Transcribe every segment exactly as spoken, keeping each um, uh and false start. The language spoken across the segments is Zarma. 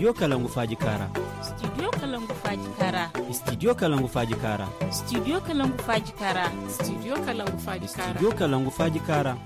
Studio kalangu faaji kaara. Studio kalangu faaji kaara. Studio kalangu faaji kaara. Studio kalangu faaji kaara. Studio kalangu faaji kaara. Studio kalangu faaji kaara.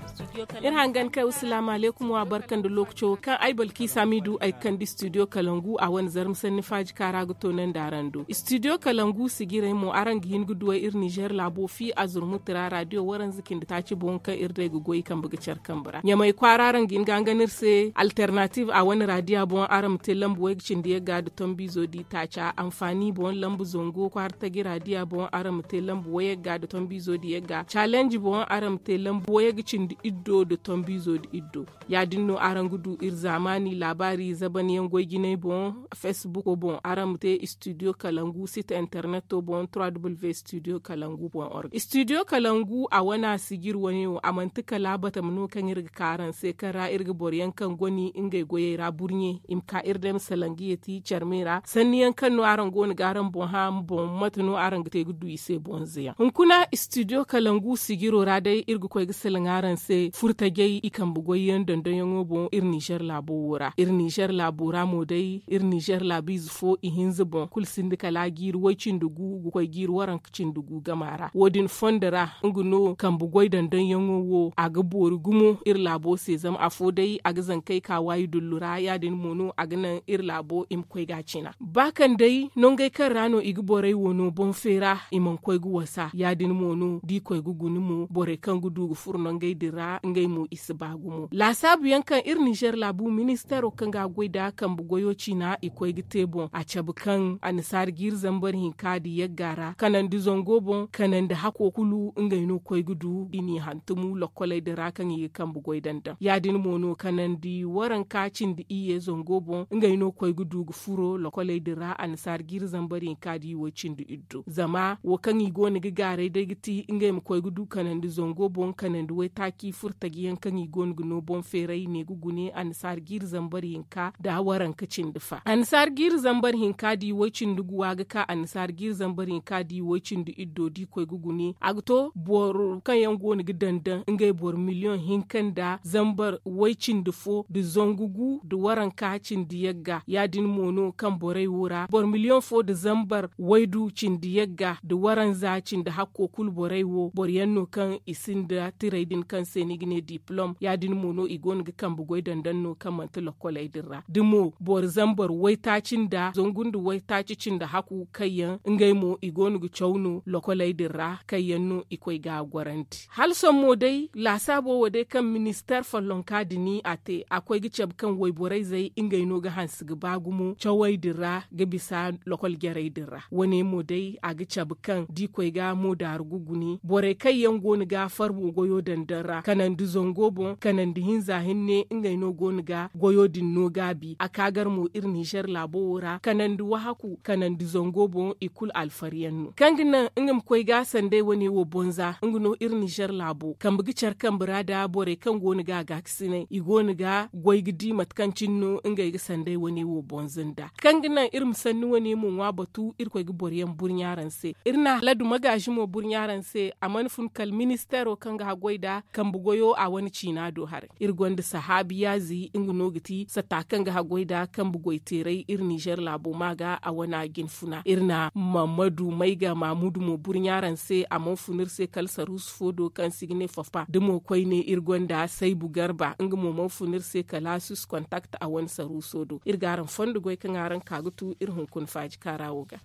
Iri hangan kay wa salaamu aleykum wa barka nda lookaco kaŋ ay balki saamidu ay ga kande studio kalangu a wane zarma sanni faaji kaara ga toonandi araŋ do. Studio kalangu sijirey mo araŋ ga hin ga duwey iri nizer laabo fi a zurmuti ra radiyo waranza cindi taaci boŋ kaŋ iri day ga goy kambe ga care kambe ra ɲamey kwaara araŋ ga hin ga hangan iri se alternative a wane radiya boŋ araŋ ma te lambu wayga cindi yagga nda tombiizo di taaca anfaani boŋ lambu zango kwaara taji radiya boŋ araŋ ma te lambu wayagga nda tombiizo di yagga caalenji boŋ araŋ ma te lambu wayagga cindi iddo nda tombiizo di iddo. Ya- din no araŋ ga du iri zaamaani laabaari zaban yaŋ goy jinay boŋ, fesbuko boŋ araŋ ma te studio kalangu site interneto boŋ trois w studio kalangu boŋ org studio kalangu a wana sijir wane wo a manti kala batama no kaŋ iri ga ka araŋ se kaŋ ra iri ga boro yaŋ kaŋ goni ngey goyey ra burɲe i ma ka iri day ma salaŋ ga yeeti care me ra sanni yaŋ kaŋ no araŋ go no ga araŋ boŋ hã boŋ mate no araŋ ga te ga du i se bonze yaŋ hunkuna studio kalangu sijiro ra day iri ga koy ga salaŋ araŋ se furtajey i kambe goy yaŋ dondon yaŋo boŋ iri nizer laabo wo ra iri nizer laabo ra mo day iri nizer laabiize fo ihinza boŋ kulu sinda kala jiiri way cindi gu ga koy jiiri waranka cindi gu gama ra wo- din fondo ra nga no kambe goy dondon yaŋo wo a ga boori gumo iri laabo se zama afo day a ga zankey ka waayi dullu ra ya- din mo no a ga naŋ iri laabo i ma koy ga a cina ba kaŋ day nongey kaŋ ra no i ga borey wo no boŋ feera i mana koy ga wasa ya- din mo no da i koy ga guna mo borey kaŋ ga du ga furo nongey din ra ngey mo i si ba gumo laasaabu yaŋ kaŋ iri nizer laabu ministeero kaŋ ga a goy nda kambe goyo ciina i koy ga te boŋ a cabe kaŋ annasaara jiiri zambar hinka nda yagga ra kanandi zango boŋ kanandi hako kulu ngey no koy ga du i n'i hantumu lokkoley din ra kaŋ i ga kambe goy daŋ daŋ ya- din mo no kanandi waranka cindi iyye zango boŋ ngey no koy ga du ga furo lokkoley din ra annasaara jiiri zambar hinka nda i way cindi iddo zama wo kaŋ i go no ga gaaray day ga ti ngey ma koy ga du kanandi zango boŋ kanandi waytaaci furtaji yaŋ kaŋ i go no ga no boŋ feeray ne ga gune annasaara jiiri zambar hinka nda waranka cindi fa annasaara jiiri zambar hinka nda i way cindi guwa ga ka annasaara jiiri zambar hinka nda i way cindi iddo da i koy ga gune a ga to boro kaŋ yaŋ go no ga daŋ daŋ ngey boro miliyoŋ hinka nda zambar way cindi fo nda zangu gu nda waranka cindi yagga ya- din mo no kaŋ borey wo ra boro miliyoŋ fo nda zambar waydu cindi yagga nda waranza cindi hakko kulu borey wo boro yaŋ no kaŋ i sinda tirey din kaŋ se ni ga ne dipolom ya- din mo no i go no ga kambe goy daŋ daŋ no kaŋ manti lokkoley din ra da mo boro zambar waytaaci nda zangu nda waytaaci cindi haku kaŋ yaŋ ngey mo i go no ga caw no lokkoley din ra kaŋ yaŋ no i koy ga a gorandi hala sohõ mo day laasaabo wo day kaŋ ministeer follonka din a te a koy ga cabe kaŋ wayborey zey ngey no ga hanse ga ba gumo cawey din ra ga bisa lokol jarey din ra wo- ne mo day a ga cabe kaŋ da i koy ga mo daaru ga gune borey kaŋ yaŋ go no ga farmo goyo daŋ daŋ ra kanandi zango boŋ kanandi hinza hinne ngey no go no ga goyo din no gaabi a ka gar mo iri nizer laabo wo ra kanandi wahaku kanandi zango boŋ i kulu alfari yaŋ no kaŋ ga naŋ nga ma koy ga sanday wane wo bonza nga no iri nizer laabo kambe ga care kambe ra nda borey kaŋ go no ga a gaakasinay i go no ga goy ga di mate kaŋ cine no ngey ga sanday wane wo bonza nda kaŋ ga naŋ iri ma sanni wane mo ŋwa batu iri koy ga boro yaŋ burɲa araŋ se iri na haladu magaazi mo burɲa araŋ se a mana fun kala ministeero kaŋ ga haggoy nda kambe goyo a wane ciina do haray iri gonda sahaabi yaazi nga no ga ti satta kaŋ ga haggoy nda kambe goy teeray iri nizer laabo ma ga a wane a jin funa iri na mammadu mayga maamudu mo burɲa araŋ se a mana fun iri se kala saruusu fo do kaŋ se i ga ne faffa da mo koyne iri gonda saybu garba nga mo mana fun iri se kala sus kontakt a wane saruuso do iri ga araŋ fondo goy kaŋ araŋ ka ga tu iri hunkuna faaji kaara wo ga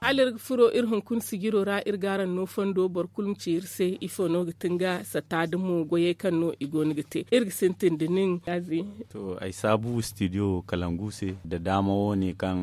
hala iri ga furo iri hunkuna sijiro ra iri ga araŋ no fondo boro kulu ma ci iri se ifo no ga ti nga satta da mo goyey kaŋ no i go no ga te iri ga sintin da nin yaazi to ay saabu studio kalangu se da daama wo- ne kaŋ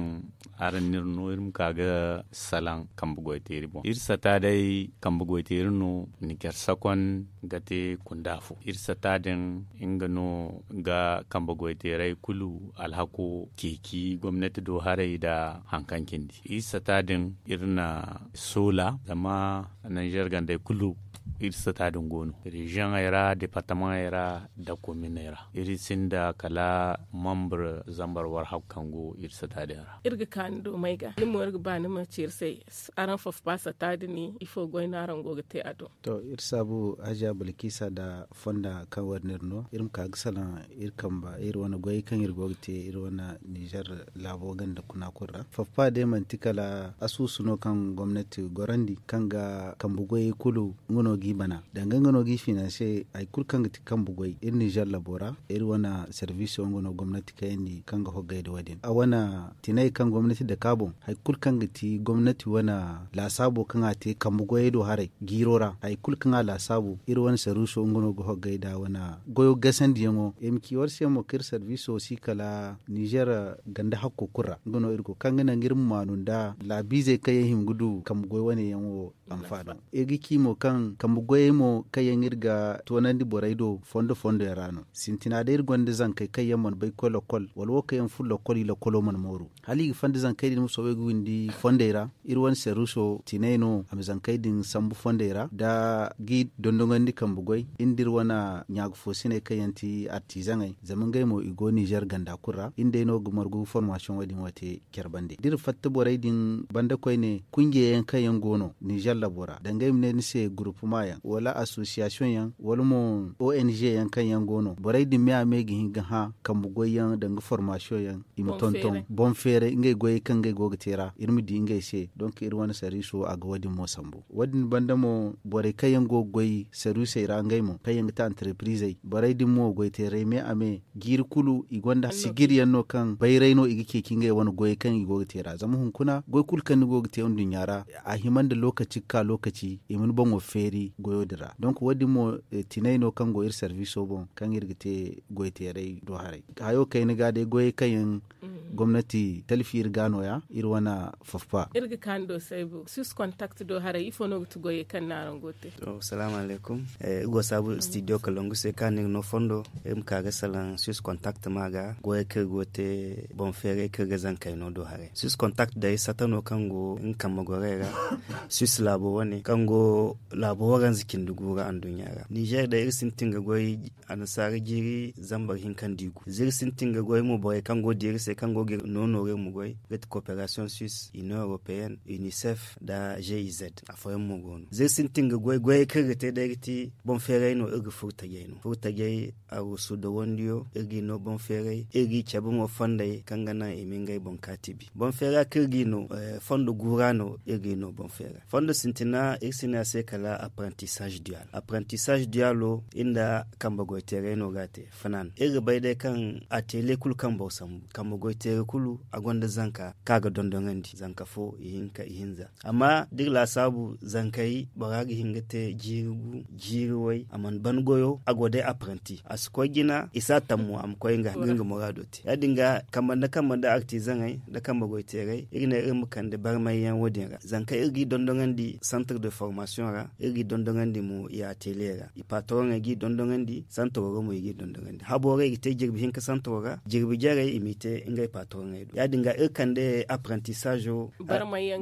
araŋ n'iri no iri ma ka ga salaŋ kambe goyteeri boŋ iri satta day kambe goyteeri no nizer sakon ga te kunda fo. Iri sata din nga no ga kambe goyteeray kulu alhako ceeci gomnati do haray nda haŋ kaŋ cindi iri sata din iri na soola zama nizer gandey kulu iri sata din go no reziyoŋey ra departamaŋey ra nda kominey ra. Iri sinda kala membre zambar warhab kaŋ go iri sata din ra. Iri ga ka ni do may ga ni mo iri ga ba ni ma ci iri se. Araŋ fofpa sata din ifo goy no araŋ go ga te a do? To iri saabu haja bilkisa nda fonda kaŋ war no iri no iri ma ka ga salaŋ iri kamba iri wane goyey kaŋ iri go ga te iri wane nizer laabo ganda kuna kulu ra. Fofpa day manti kala asuusu no kaŋ gomnati gorandi kaŋ ga kambe goyey kulu nga no g'i bana danga nga no g'i finanse hari kulu kaŋ ga ti kambe goy iri nizer labo ra. Iri wane serviso nga no gomnati kayandi kaŋ ga hoggay nda wo- din a wane tinay kaŋ gomnati dake a boŋ hari kulu kaŋ ga ti gomnati wane laasaabo kaŋ a te kambe goyey do haray jiiro ra hari kulu kaŋ a laasaabu iri wane serviso nga no ga hoggay nda wane goyo gasandiyaŋo. Ay ma ci war se mo kaŋ iri serviso si kala nizer ganda hakko kulu ra nga no iri go kaŋ ga naŋ iri ma maanu nda laabiizey kaŋ yaŋ hima ga du kambe goy wane yaŋ wo. Anfaano ay ga ci mo kaŋ kambe goyey mo kaŋ yaŋ iri ga toonandi borey do fondo fondo yaŋ ra no sintina day iri gonda zankey kaŋ yaŋ mana bay ga koy lokol wala wo kaŋ yaŋ furo lokol i lokolo mana mooru hala i ga fanda zankey din ma soobay ga windi fondey ra. Iri wane serviso tinay no a ma zankey din sambu fondey ra nda g'i dondoŋandi kambe goy iri nda iri wane ɲaagufoosiney kaŋ yaŋ ti artizaŋey zama ngey mo i go nizer ganda kulu ra iri nd'ey no ga margu ga formasiyoŋo din wo te care bande da iri fatta borey din banda koyne kunje yaŋ kaŋ yaŋ go no nizer labo ra danga ay ma ne ni se gurupuma yaŋ wala asosiyasiyoŋ yaŋ wala mo ong yaŋ kaŋ yaŋ go no borey din me a me ga hin ga hã kambe goy yaŋ danga formasiyoŋ yaŋ i ma tonton boŋ feeray ngey goyey kaŋ ngey go ga te ra iri ma di ngey se donk iri wane sariiso a ga wo- din mo sambu wo- din banda mo borey kaŋ yaŋ go ga goy sariisey ra ngey mo kaŋ yaŋ ga te antarepiriizey borey din mo goy teeray me a me jiiri kulu i gonda sijir yaŋ no kaŋ bayray no i ga ceeci ngey wane goyey kaŋ i go ga te ra zama hunkuna goy kulu kaŋ ni go ga te nduɲɲa ra a hima nda lookaci ga ka lookaci i ma ni boŋo feeri goyo din ra donk wo- din mo tinay no kaŋ go iri sarbiiso boŋ kaŋ iri ga te goy teeray do haray hayo kayna ga day goyey kaŋ yaŋ gomnati talfi iri ga no- ya iri wane faffa. Iri ga kaani do saybu sus kontakti do haray ifo no ga ti goyey kaŋ no araŋ go ga te? Salaamu alaykum. Iri go saabu stidiyo kalongu se kaŋ no iri no fondo iri ma ka ga salaŋ sus kontakti ma ga goyey kaŋ iri go ga te boŋ feeray kaŋ iri ga zankey no do haray sus kontakti day sata no kaŋ go nga kambe gorey ra sus laabo wane kaŋ go laabo waranza cindi gu ra anduɲɲa ra nizer day iri sintin ga goy annasaara jiiri zambar hinka nda i gu za iri sintin ga goy mo borey kaŋ go ga di iri se kaŋ go ga iri no nooru iri ma goy ga ti koperasiyoŋ sus inion europeyenne unicef nda g i z. Afooyaŋ mo go no za iri sintin ga goy goyey kaŋ iri ga te day ga ti boŋ feeray no iri ga furo tajey no furo tajey arusu dawandiyo iri g'i no boŋ feeray iri g'i cabe mo fondey kaŋ ga naŋ i ma ngey boŋ kaati bi boŋ feera kaŋ iri g'i no fondo guura no iri g'i no boŋ feera fondo sintina iri si ne a se kala apprentissage dual apprentissage dual wo iri nda kambe goy teeray no ga a te. Fanaan iri ga bay day kaŋ atelier kulu kaŋ boro sambu kambe goy teeray kulu a gonda zanka kaŋ a ga dondonandi zanka fo ihinka ihinza amma da iri laasaabu zankey bora ga hin ga te jiiri gu jiiri way a mana ban goyo a go day apprenti a si koy jina i si a tammu a ma koy nga nga muraado te ya- din ga kambe nda kambe nda artizaŋey nda kambe goy teeray iri ne iri ma kande barmay yaŋ wo- din ra zanka iri g'i dondoŋandi centre de formation ra iri g'i dondoŋandi mo i atelier ra i patoroŋey g'i dondoŋandi santaro ra mo i g'i dondoŋandi habo ra i ga te jirbi hinka santaro ra jirbi jarey i m'i te ngey patoroŋey do ya- din ga iri kande apprentissage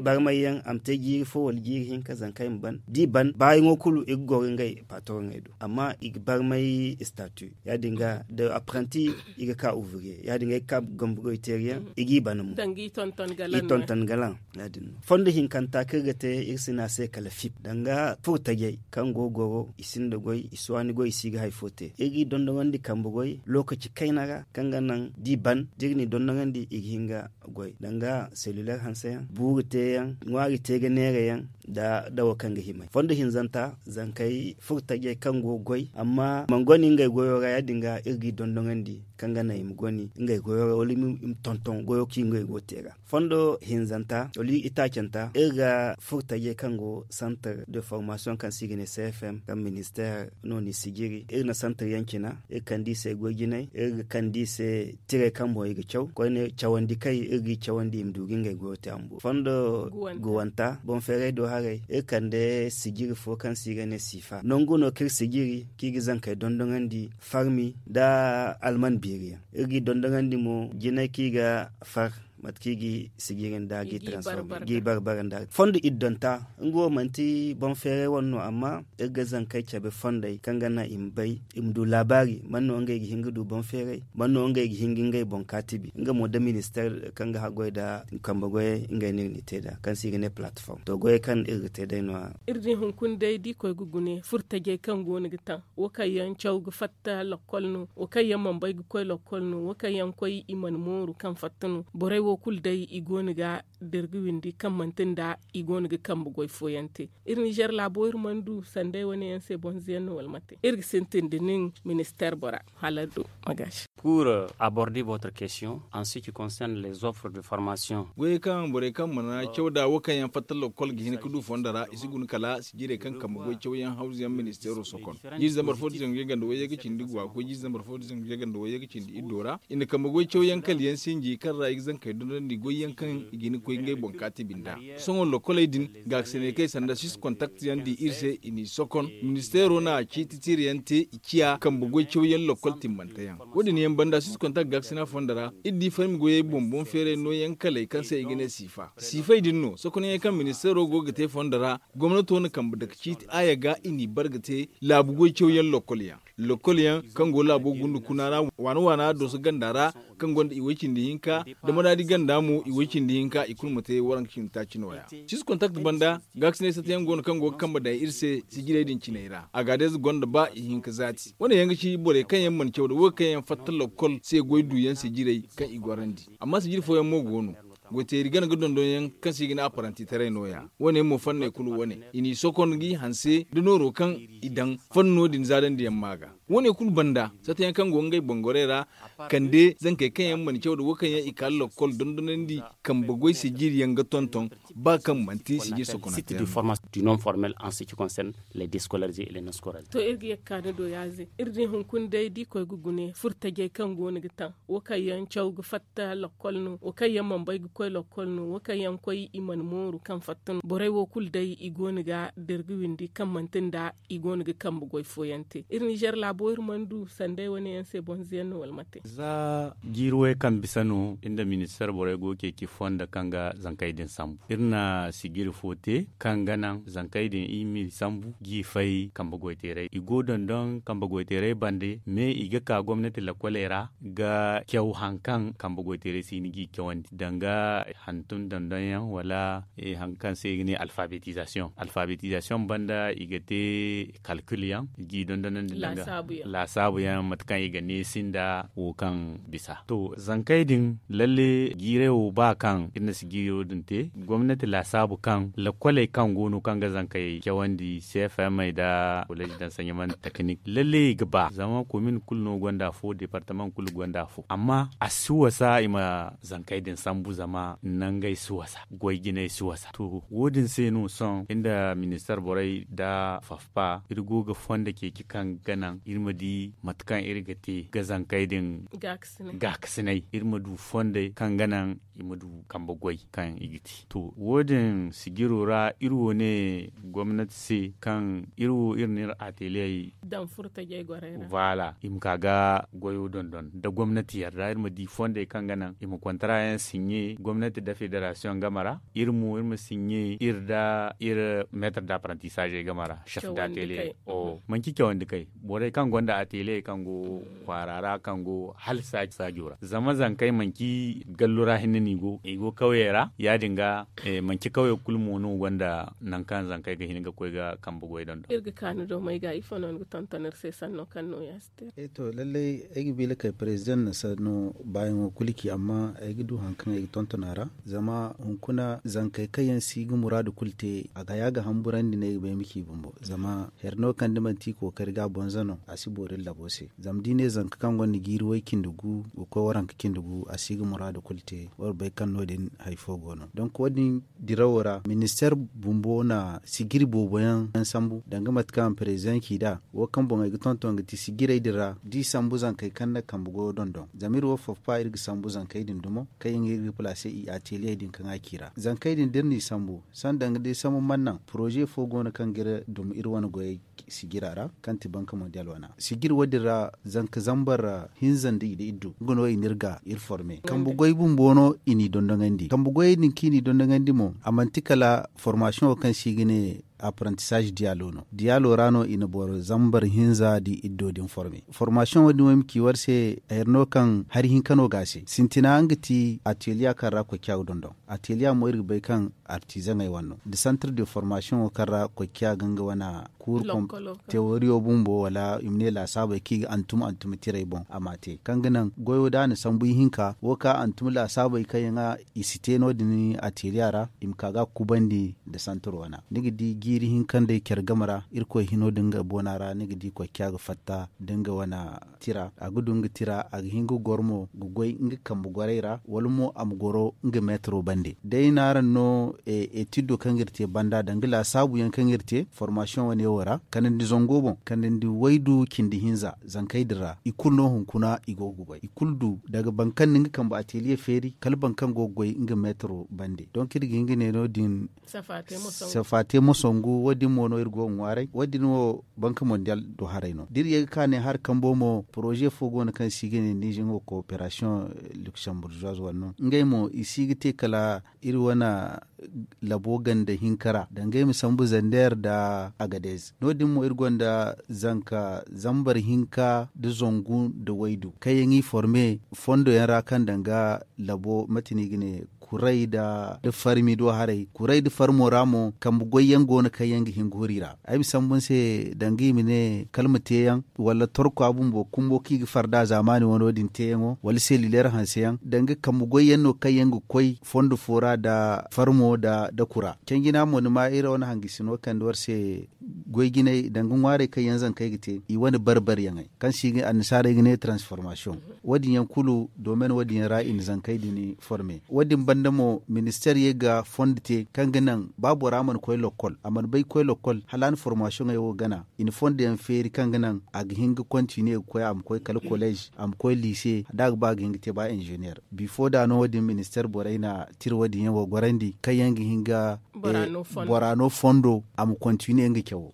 barmay yaŋ a ma te jiiri fo wala jiiri hinka zankey ma ban da i ban baayaŋo kulu i ga goro ngey patoroŋey do amma i ga barmay statu ya- din ga da apprenti i ga ka ouvrier ya- din ga i ga ka gambugoy teeri yaŋ i g'i ban mo i tonton galaŋ ya- din no fondo hinkanta kaŋ iri ga te iri si ne a se kala fip danga furo tajey kaŋ go goro i sinda goy i si waani goy i si ga hari fo te iri g'i dondoŋandi kambe goy lookaci kayna ra kaŋ ga naŋ da i ban da iri n'i dondoŋandi i ga hin ga goy danga selluler hanse yaŋ buuru te yaŋ ŋwaari te ga neera yaŋ da dawo kaŋ ga himay fondo hinzanta zankey furo tajey kaŋ go ga goy amma i mana goni ngey goyo ra ya- din ga iri g'i dondoŋandi kaŋ ga naŋ i ma goni ngey goyo ra wala i ma tonton goyo kaŋ ngey go ga te ra fondo hinzanta wala itaacanta iri ga furo tajey kaŋ go centre de formation kaŋ se i ga ne cfm kaŋ ministère no n'i sijiri iri na centre yaŋ cina iri kande i se goy jinay iri ga kande i se tirey kaŋ boŋ i ga caw koyne cawandi kay iri g'i cawandi i ma du ga ngey goyo te a ma boori fondo guwanta boŋ feeray do haray iri kande sijiri fo kaŋ se i ga ne siifa nangu no kaŋ iri sijiri kaŋ i ga zankey dondoŋandi farmi nda alman beeri yaŋ iri g'i dondoŋandi mo jinay kaŋ i ga far mate kaŋ i g'i sijiri nda g'i transforme g'i barbara nda fondo iddonta nga wo manti boŋ feeray wane no amma iri ga zankey cabe fondey kaŋ ga naŋ i ma bay i ma du laabaari man no ngey ga hin ga du boŋ feeray man no ngey ga hin ga ngey boŋ kaatibi nga mo da ministeer kaŋ ga haggoy nda kambe goyey ngey no iri n'i te nd'a kaŋ se i ga ne plateforme to goyey kaŋ iri ga te day no- ya. Iri di hunkuna day da i koy ga gune furtajey kaŋ go no ga taŋ wo kaŋ yaŋ caw ga fatta lakkol no wo kaŋ yaŋ mana bay ga koy lakkol no wo kaŋ yaŋ koy i mana mooru kaŋ fatta no borey wo kulu day i go no ga da iri ga windi kaŋ manti nda i go no ga kambe goy fooyaŋ te. Iri nizer laabo iri mana du sanday wane yaŋ se bonzo yaŋ no wala mate iri ga sintin da nin ministeer bora hala du. Magaasi. Pour aborder votre question en ce qui concerne les offres de formation. Goyey kaŋ borey kaŋ mana caw da wo kaŋ yaŋ fatta lakkol ga hin ga du fondo ra i si guna kala sijirey kaŋ kambe goy cawyaŋ hawzuyaŋ ministeero sokon jiiri zambar fo da zangu yaganda wayye ga cindi guwa ga koy jiiri zambar fo da zangu yaganda wayye ga cindi iddo ra i na kambe goy cawyaŋ kala yaŋ sinji kaŋ ra i ga zankey dondon da i goy yaŋ kaŋ i ga hin ga koy ngey boŋ kaati binda. Sohõ lokkoley din gaakasiney kaŋ i sanda sis kontakt yaŋ di iri se i n'i sokon ministeero na ciiti tiiri yaŋ te i ciya kambe goy cawyaŋ lokkol timmante yaŋ. Wo- din yaŋ banda sis kontakt gaakasina fondo ra iri di farmi goyey boŋ boŋ feeray nooyaŋ kaley kaŋ se i ga ne siifa siifay din no sokonyaŋey kaŋ ministeero go ga te fondo ra gomnato na kambe dake ciiti aaya ga i n'i bar ga te laabu goy cawyaŋ lokkol yaŋ kaŋ go laabo gundu kuna ra waana waana dooso ganda ra kaŋ gonda i way cindi hinka da maraadi ganda mo i way cindi hinka i kulu ma te waranka cindi taaci nooya. Sis kontakt banda gaakasinay sata yaŋ go no kaŋ go ga kambe daŋ iri se sijirey din ciney ra agaadez gonda ba i hinka zaati wane yaŋ ga ci borey kaŋ yaŋ mana caw da wo kaŋ yaŋ fatta lakkol se goy du yaŋ sijirey kaŋ i gorandi amma sijiri fooyaŋ mo go no goyteeri gana ga dondon yaŋ kaŋ se i ga ne apparenti taray nooya wane mo fanney kulu wane i n'i sokon g'i hanse da nooro kaŋ i daŋ fanno din zaadandi yaŋ ma ga wane kulu banda sata yaŋ kaŋ go ngey bangorey ra kande zankey kaŋ yaŋ mana caw da wo kaŋ yaŋ i ka lakkol dondonandi kambe goy sijiri yaŋ ga tonton ba kaŋ manti sijiri sokonante yaŋ. Du non formel en ce qui concerne les descolarize et les non scolarizes. To iri ga yagga ka ni do yaaze iri di hunkuna day da i koy ga gune furtajey kaŋ go no ga taŋ wo kaŋ yaŋ caw ga fatta lakkol no wo kaŋ yaŋ mana bay ga koy lakkol no wo kaŋ yaŋ koy i mana mooru kaŋ fatta no borey wo kulu day i go no ga da iri ga windi kaŋ manti nda i go no ga kambe goy fooyaŋ te iri nizer laabo iri mana du sanday wane yaŋ se bonzo yaŋ no wala mate. Za jiiri way kaŋ bisa no iri nda ministeer borey go ga ceeci fondo kaŋ ga zankey din sambu iri na sijiri fo te kaŋ ga naŋ zankey din i m'i sambu g'i fay kambe goyteeray i go dondon kambe goyteeray bande me i ga ka gomnati lakkoley ra ga caw hari kaŋ kambe goyteeray si hin g'i cawandi danga hantum dondon yaŋ wala hari kaŋ se i ga ne alfabetizasiyoŋ alfabetizasiyoŋ banda i ga te kalkil yaŋ i g'i dondonandi danga laasaabu yaŋ mate kaŋ i ga neesi nda wo kaŋ bisa to zankey din lalle jiiray wo ba kaŋ iri na si jiiro din te gomnati laasaabu kaŋ lakkoley kaŋ go no kaŋ ga zankey cawandi cfm ay nda koleji dansaɲaman teknik lalle i ga ba zama komin kulu no gonda fo departament kulu gonda fo amma a si wasa i ma zankey din sambu zama nangey si wasa goy jinay si wasa to wo- din se no sohõ iri nda ministeer borey nda fafpa iri go ga fondo ceeci kaŋ ga naŋ iri ma di mate kaŋ iri ga te ga zankey din gaakasinay iri ma du fondey kaŋ ga naŋ i ma du kambe goy kaŋ i ga te to wo- din sijiro ra iri wo ne gomnati se kaŋ iri wo iri na iri ateliyey daŋ furtajey gorey ra voilà i ma ka ga goyo dondon da gomnati yarda iri ma di fondey kaŋ ga naŋ i ma kontara yaŋ sinɲe gomnati da federasiyoŋ game ra iri mo iri ma sinɲe iri da iri metre d'apprentissage game ra chef d'atelier o manci cawandi kay borey kaŋ gonda atelier kaŋ go kwaara ra kaŋ go hala saajo ra zama zankey manci gallu ra hinne no i go i go kawyey ra ya- din ga manci kawye kulu mo no gonda nangu kaŋ zankey ga hin ga koy ga kambe goy dondon iri ga kaanu do may ga ifo no ni ga tonton iri se sanno kaŋ no ya si te to lallay ay ga bi lakay president na sanno baayaŋo kulu ci amma ay ga du hari kaŋ ay ga tonton Zama hunkuna zankey kaŋ yaŋ si ga muraadu kulu te a ga haya ga hamburandi no ay ga bay ma ci bumbo zama hari no kaŋ da manti i kookari ga a bonza no a si boori iri labo se. Zama da i ne zanka kaŋ gonda jiiri way cindi gu ga koy waranka cindi gu a si ga muraadu kulu te. War bay kaŋ no- din hari fo go no donk wo- din dirawo ra ministeer bumbo na sijiri boobo yaŋ sambu danga mate kaŋ a ma perezidaŋ ci nd'a. Wo kaŋ boŋey ga tonton ga ti sijirey din ra da i sambu zankey kaŋ na kambe goyo dondon zama iri wo foffa iri ga sambu zankey din dumo kaŋ yaŋ iri ga palaase i ateliye din kaŋ a ci ra zankey din da iri n'i sambu sanda danga day sambu mana naŋ poroze fo go no kaŋ ga iri dum iri wane goyey sijira ra kaŋ ti banka mondial wana sijir wo- din ra zanka zambar hinza nda iddu nga no i na iri ga iri forme kambe goy bumbo no i n'i dondoŋandi kambe goyey din kaŋ i n'i dondoŋandi mo a manti kala formasiyoŋo kaŋ se i ga ne apprentissage diyaalo no diyaalo ra no i na boro zambar hinza nda iddo din forme formasiyoŋo din wo ay ma ci war se hari no kaŋ hari hinka no ga a se sintina nga ti ateliya kaŋ ra koy ciya ga dondon ateliya mo iri ga bay kaŋ artizaŋey wane no nda centre de formasiyoŋo kaŋ ra koy ciya ga nga wane kuuru teoriyo bumbo wala i ma ne laasaabey kaŋ i ga antum antum tirey boŋ a m'a te kaŋ ga naŋ goyo da a na sambu ihinka wo ka antum laasaabey kaŋ yaŋ i si te no- din ateliya ra i ma ka ga a kubandi nda santar wana ni ga di jiiri hinka nd'ey care game ra irkoy hino nda nga boona ra ni ga di koy ciya ga fatta nda nga wane tira a ga du nga tira a ga hin ga goro mo ga goy nga kambe gorey ra wala mo a ma goro nga meetaro bande day no araŋ no etiddo kaŋ ga iri te banda danga laasaabu yaŋ kaŋ iri te formasiyoŋ wane wo ra kanandi zango boŋ kanandi waydu cindi hinza zankey din ra i kulu no hunkuna i go ga goy i kulu du daga boro kaŋ na nga kambe ateliye feeri kala boro kaŋ go ga goy nga meetaro bande donk iri ga hin ga ne no- din safa te mo sangu wo- din mo no iri go ga ŋwaaray wo- din wo banka mondial do haray no da iri ye ga ka ne hari kambo mo poroze fo go no kaŋ se i ga ne nizeŋo kooperasiyoŋ luksemburzoise wala no ngey mo i si ga te kala iri wane labo ganda hinka ra danga ay ma sambu zander nda agadez no- din mo iri gonda zanka zambar hinka nda zangu nda waydu kaŋ yaŋ i forme fondo yaŋ ra kaŋ danga labo mate no i ga ne kuray nda farmi do haray kuray nda farmo ra mo kambe goy yaŋ go no kaŋ yaŋ ga hin ga huru i ra ay ma sambu ni se danga i ma ne kala ma te yaŋ wala torkwa bumbo kumbo kaŋ i ga farda zaamaani wano din teeyaŋo wala selilyer hanseyaŋ danga kambe goyyaŋ no kaŋ yaŋ ga koy fondo fo ra nda farmo nda kura canjina mo ni ma iri wane hangasino kande war se goy jinay danga ŋwaarey kaŋ yaŋ zankey ga te i wane barbaryaŋey kaŋ se i ga annasaarey ga ne transformation wo- din yaŋ kulu domen wo- din yaŋ ra i na zankey din forme wo- din banda mo ministeer ye ga fondo te kaŋ ga naŋ ba bora mana koy lokkol a mana bay ga koy lokkol hala a na formasiyoŋey wo gana i na fondo yaŋ feeri kaŋ ga naŋ a ga hin ga kontiniye ga koy a ma koy kala kolleez a ma koy liise da a ga ba a ga hin ga te ba inzeneer bifo da no wo- din ministeer borey na tira wo- din yaŋ wo gorandi kaŋ yaŋ ga hin ga bora no fondo a ma kontiniye nga cawo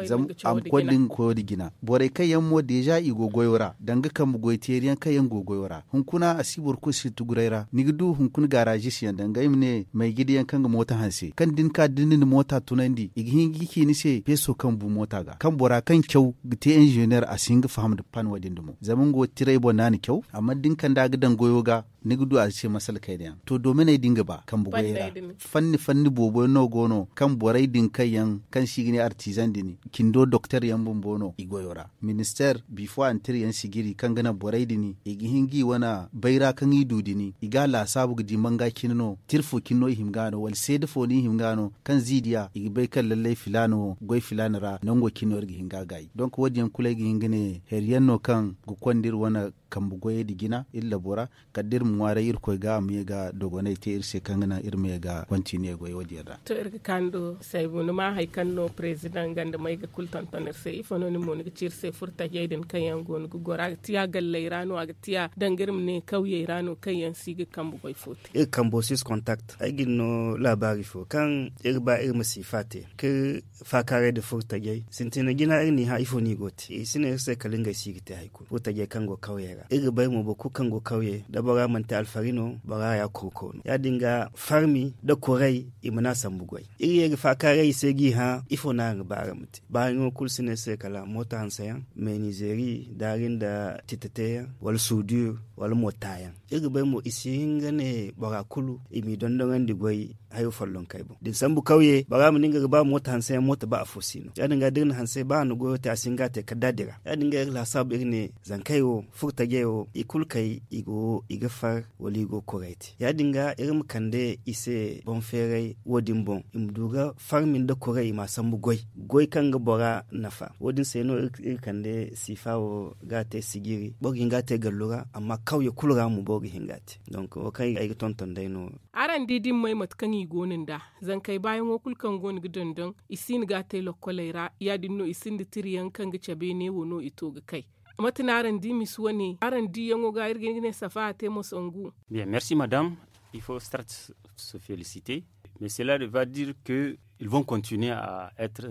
zama a ma koy da nga koyo da jina borey kaŋ yaŋ mo deeza i go goyo ra danga kambe goy teeri yaŋ kaŋ yaŋ go goyo ra hunkuna a si boro kulu si tuguray ra ni ga du hunkuna gaaraazis yaŋ danga ay ma ne mayjidi yaŋ kaŋ ga moota hanse kaŋ da ni ka da ni na moota tunandi i ga hin ga ci ni se peeso kaŋ bu moota ga kaŋ bora kaŋ caw ga te inzeneer a si hin ga faham nda pan wo- din dumo zama nga wo tiray boŋ no a na caw amma da ni kand'a ga daŋ goyo ga ni ga du a se masala kayna yaŋ to doominey din ga ba kambe goyey ra fanni fanni boobo yaŋ no go no kaŋ borey din kaŋ yaŋ kaŋ se i ga ne artizaŋ din cindo doktor yaŋ bumbo no i goyo ra ministeer bifo a na tira yaŋ sijiri kaŋ ga naŋ borey din i ga hin ga i wane bayra kaŋ i du din i ga a laasaabu ga di manga cine no tira fo cine no i hima ga no wala seeda fo no i hima ga no kaŋ ziidiya i ga bay kaŋ lallay filaana wo goy filaana ra nango cine no iri ga hin ga a gaayi donk wo- din yaŋ kulu ay ga hin ga ne hari yaŋ no kaŋ ga konda iri wane kambe goyey nda jina iri labo ra kala da iri ma ŋwaaray irkoy ga a ma ye ga dogonay te iri se kaŋ ga naŋ iri ma ye ga kontiniye goy wo- din ra. To iri ga kaanu do saybu ni ma hari kaŋ no perezidaŋ ganda may ga kulu tonton iri se ifo no nin mo ni ga ci iri se furtajey din kaŋ yaŋ go no ga goro a ga tiya galley ra no a ga tiya danga iri ma ne kawyey ra no kaŋ yaŋ si ga kambe goy fo te. Iri kambo sis kontakte ay ga ni no laabaari fo kaŋ iri ba iri ma siifa te ka iri faakaaray nda furtajey sintina jina iri n'i hã ifo no i go ga te i si ne iri se kala ngey si ga te hari kulu furtajey kaŋ go kawyey ra iri ga bay mo boro kulu kaŋ go kawye da bora mana te alfari no bora ya kurko no ya- din ga farmi nda kuray i mana sambu goy iri ye ga faakaaray i se g'i hã ifo no araŋ ga ba araŋ ma te baayaŋo kulu si ne iri se kala mooto hanseyaŋ meenizeeri daari nda titateyaŋ wala suudur wala mo taayaŋ. Iri ga bay mo i si hin ga ne bora kulu i m'i dondoŋandi goy hayo follonkey boŋ da ni sambu kawye bora ma ne nga ga ba mooto hanse yaŋ mooto ba afo si no ya- din ga da iri na hanse ba a na goyo te a si hin ga a te kala da a dira. Ya- din ga iri laasaabu iri ne zankey wo furtajey wo i kulu kay i go i ga far wala i go ga koray te ya- din ga iri ma kande i se boŋ feeray wo- din boŋ i ma du ga farmi nda koray i m'a sambu goy goy kaŋ ga bora nafa wo- din se no iri kande siifa wo ga a te sijiri boro ga hin ga a te gallu ra amma kawye kulu ra mo boro ga hin ga a te. Donk wo kaŋ ay ga tonton day no. Araŋ di da ni may mate kaŋ i go no nd'a zankey baayaŋo kulu kaŋ go no ga dondon i si hin ga a te lokkoley ra ya- din no i sinda tira yaŋ kaŋ ga cabe neewo no i to ga kay. Mate no araŋ di misi wane araŋ diiyaŋo ga iri ga hin ga ne safa a te mo sangu. Bien merci madame. Il faut start se féliciter mais cela va dire que ils vont continuer à être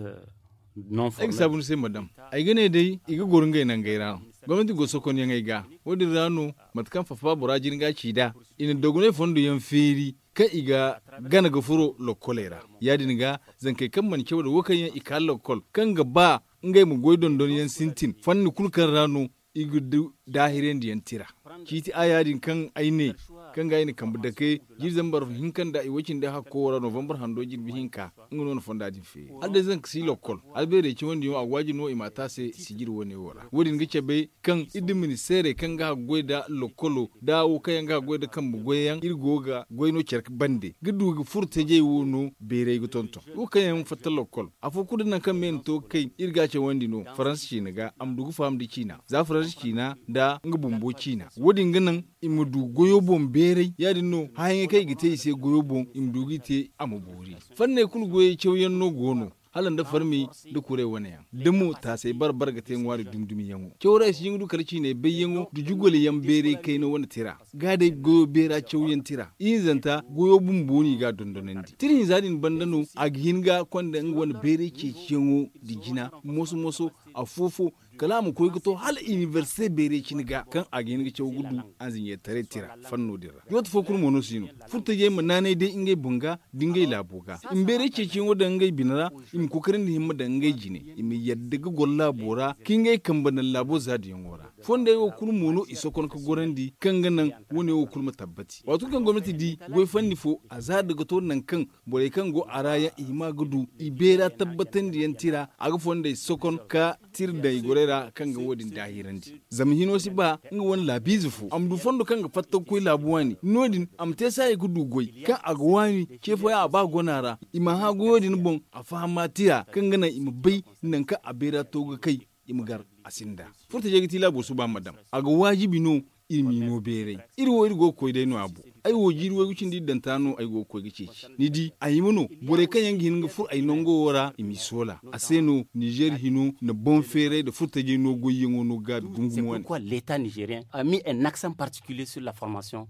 non ay ga saabu ni se madame. Ay ga ne day i ga goro ngey nangey ra no gomnati go sokonyaŋey ga wo- din ra no mate kaŋ fafa bora jin ga ci nd'a i na dogonay fondo yaŋ feeri kaŋ i ga gana ga furo lokkoley ra ya- din ga zankey kaŋ mana caw da wo kaŋ yaŋ i ka lokkol kaŋ ga ba ngey ma goy dondon yaŋ sintin fanni kulu kaŋ ra no i ga du daahirandi yaŋ tira. Ciiti a ya- din kaŋ ay ne kaŋ ga ay na kambe dake jiiri zambar hinka nda i way cindi hakko wo ra novambar hando jirbi hinka nga no na fonda din feeri hala day zanka si lokkol albeerey cawandi yaŋo a ga waaji no i m'a te a se sijiri wane wo ra wo- din ga cabe kaŋ iri da ministeerey kaŋ ga haggoy nda lokkolo nda wo kaŋ yaŋ ga haggoy nda kambe goyyaŋ iri go ga goy no care bande ga du ga furo tajey wo no beeray ga tonton wo kaŋ yaŋ fatta lokkol afo kulu da nangu kaŋ me na to ga kay iri ga a cawandi no faransa ciina ga a ma du ga faham nda ciina za faransa ciina nda nga bumbo ciina wo- din ga naŋ i ma du goyo boŋ beeray ya- din no hããyaŋey kaŋ i ga te i se goyo boŋ i ma du g'i te a ma boori. Fanney kulu goyey cawyaŋ no go no hala nda farmi nda kuray wane yaŋ da mo taasey bare bare ga te ŋwaari dumi dumi yaŋo caw ra i si hin ga du kala ciiney bayyaŋo nda jugole yaŋ beeray kayna wane tira ga day goyo beera cawyaŋ tira ihinzanta goyo bumbo no i ga a dondonandi tira hinza din banda no a ga hin ga konda nga wane beeray ceeciyaŋo nda jina moso moso afo fo kala a ma koy ga to hala inibersite beeray cine ga kaŋ a ga hin ga caw ga du anziɲeetaray tira fanno din ra. Dooti fo kulu mo no si no furtajey ma naanay day ngey boŋ ga nda ngey laabo ga i ma beeray ceeciyaŋo daŋ ngey bine ra i ma kokarandi himma daŋ ngey jine i ma yadda ga goro laabo ra ka ngey kambe daŋ laabo zaadiyaŋo ra. Fondey wo kulu mo no i sokon ga gorandi kaŋ ga naŋ wane wo kulu ma tabbati waato kaŋ gomnati di goy fanni fo a zaada ga to nangu kaŋ borey kaŋ go a ra yaŋ i hima ga du i beera tabbatandiyaŋ tira a ga fondey sokon ka tira daŋ i gorey ra kaŋ ga wo- din daahirandi. Zama hino si ba nga wane laabiize fo a ma du fondo kaŋ ga fatta ga koy laabu waani no- din a ma te saaya ga du goy kaŋ a ga waani ce fooyaŋ a ba gona ra i ma hã goyo din boŋ a fahama tira kaŋ ga naŋ i ma bay nangu kaŋ a beera to ga kay i ma gar a sinda. Furtajey ga ti laabo suba ma daŋ a ga waajibi no i m'i no beeray. Iri wo iri go ga koy day no a boŋ ay wo jiiri waygu cindi iri daŋ ta no ay go ga koy ga ceeci ni di a hima no borey kaŋ yaŋ ga hin ga furo ay nango wo ra i m'i soola a se no nizeer hino na boŋ feeray nda furtajey no goyyaŋo no gaabi gungumo wane. Pourquoi l'état nigérien a mis un accent particulier sur la formation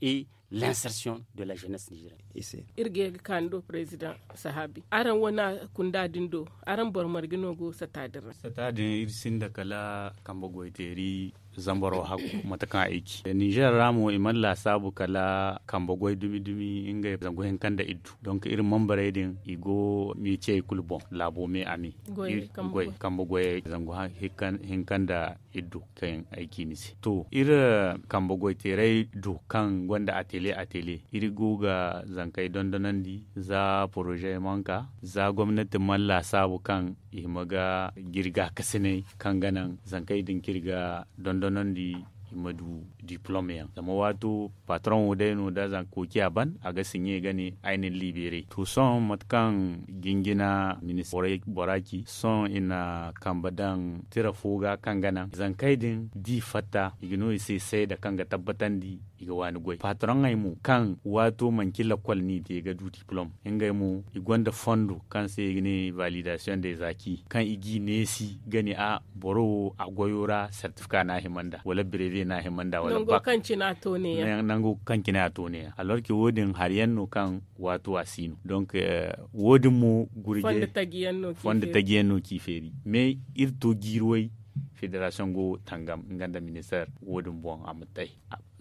et l'insertion de la jeunesse nigérienne? Iri ga ye ga ka ni do président sahabi araŋ wane kunda din do araŋ boro marge no go sata din ra? Sata din iri sinda kala kambe goyteeri zambaro hakku mate kaŋ ay ci nizer ra mo i mana laasaabu kala kambe goy dumi dumi ngey zangu hinka nda iddu. Donc iri membarey din i go meciyey kulu boŋ laabo me a me goy kambe goyey zangu hinka nda iddu kaŋ ay ci ni se to iri kambe goyteerey du kaŋ gonda atele atele iri go ga zankey dondonandi za poroze manka za gomnati mana laasaabu kaŋ i hima ga jirga kasinay kaŋ ga naŋ zankey din kaŋ iri ga dondonandi i ma du diplom yaŋ zama waato patron wo day no da zanka koociya ban a ga siɲe ga ne ay na ni libere to sohõ mate kaŋ jinjina ministirey bora ci sohõ i na kambe daŋ tira fo ga kaŋ ga naŋ zankey din da i fatta i ga no i se seeda kaŋ ga tabbatandi i ga waani goy patroŋey mo kaŋ waato manci lakkol no i te ga du diplom ngey mo i gonda fondo kaŋ se i ga ne validasiyoŋ de zaki kaŋ i g'i neesi ga ne a boro wo a goyo ra sertifika no a hima nd'a wala breve no a hima nd'a wala bak nango kaŋ cine a to neeya alors que wo- din hari yaŋ no kaŋ waato a si no donc wo- din mo gurje fondo taji yaŋ no k'i feeri mais iri to jiiri way federasiyoŋ go tangam nga nda ministeer wo- din boŋ a ma tay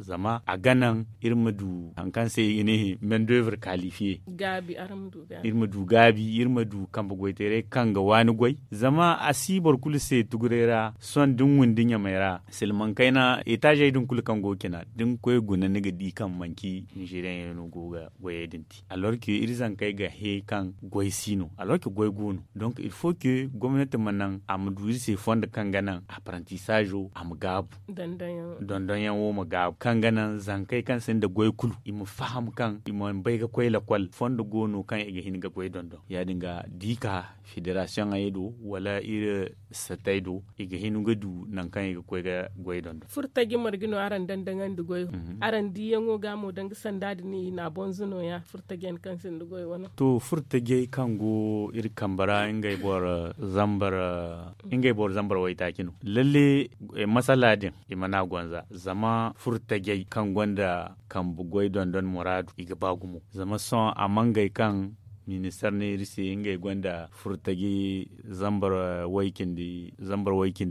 Zama a ga naŋ iri ma du hari kaŋ se i ga ne main d'oeuvre qualifié. Iri ma du gaabi, iri ma du kambe goyteeray kaŋ ga waani goy. Zama a si boro kulu se tuguray ra sohõ da ni windi ɲamay ra silmaŋ kayna etaazey din kulu kaŋ go ga cina da ni koy guna ni ga di kaŋ manci nizeriyaŋ yaŋ no go ga goyey din te. Alors que iri zankey ga he kaŋ goy si no, alors que goy go no. Donc il faut que gomnati ma naŋ a ma du iri se fondo kaŋ ga naŋ apprentissage a ma gaabu. Dondonyaŋo ma gaabu kaŋ ga naŋ zankey kaŋ sinda goy kulu i ma faham kaŋ i mana bay ga koy lakol fondo go no kaŋ i ga hin ga goy dondon ya- din ga da i ka federasiyoŋey do wala iri satey do i ga hin ga du nangu kaŋ i ga koy ga goy dondon. Furtaji marje no araŋ dandaŋandi goyo? Araŋ diiyaŋo ga mo danga sanda din i na a bonzo nooya furtaji yaŋ kaŋ sinda goyo wane? To furtajey kaŋ go iri kambe ra ngey boro zambar waytaaci no. Lalle masala din i mana a gonza zama furtajey kaŋ gonda kambe goy dondon muraadu i ga ba gumo zama sohõ a mangey kaŋ ministar ne iri se ngey gonda furtaji zambar way cindi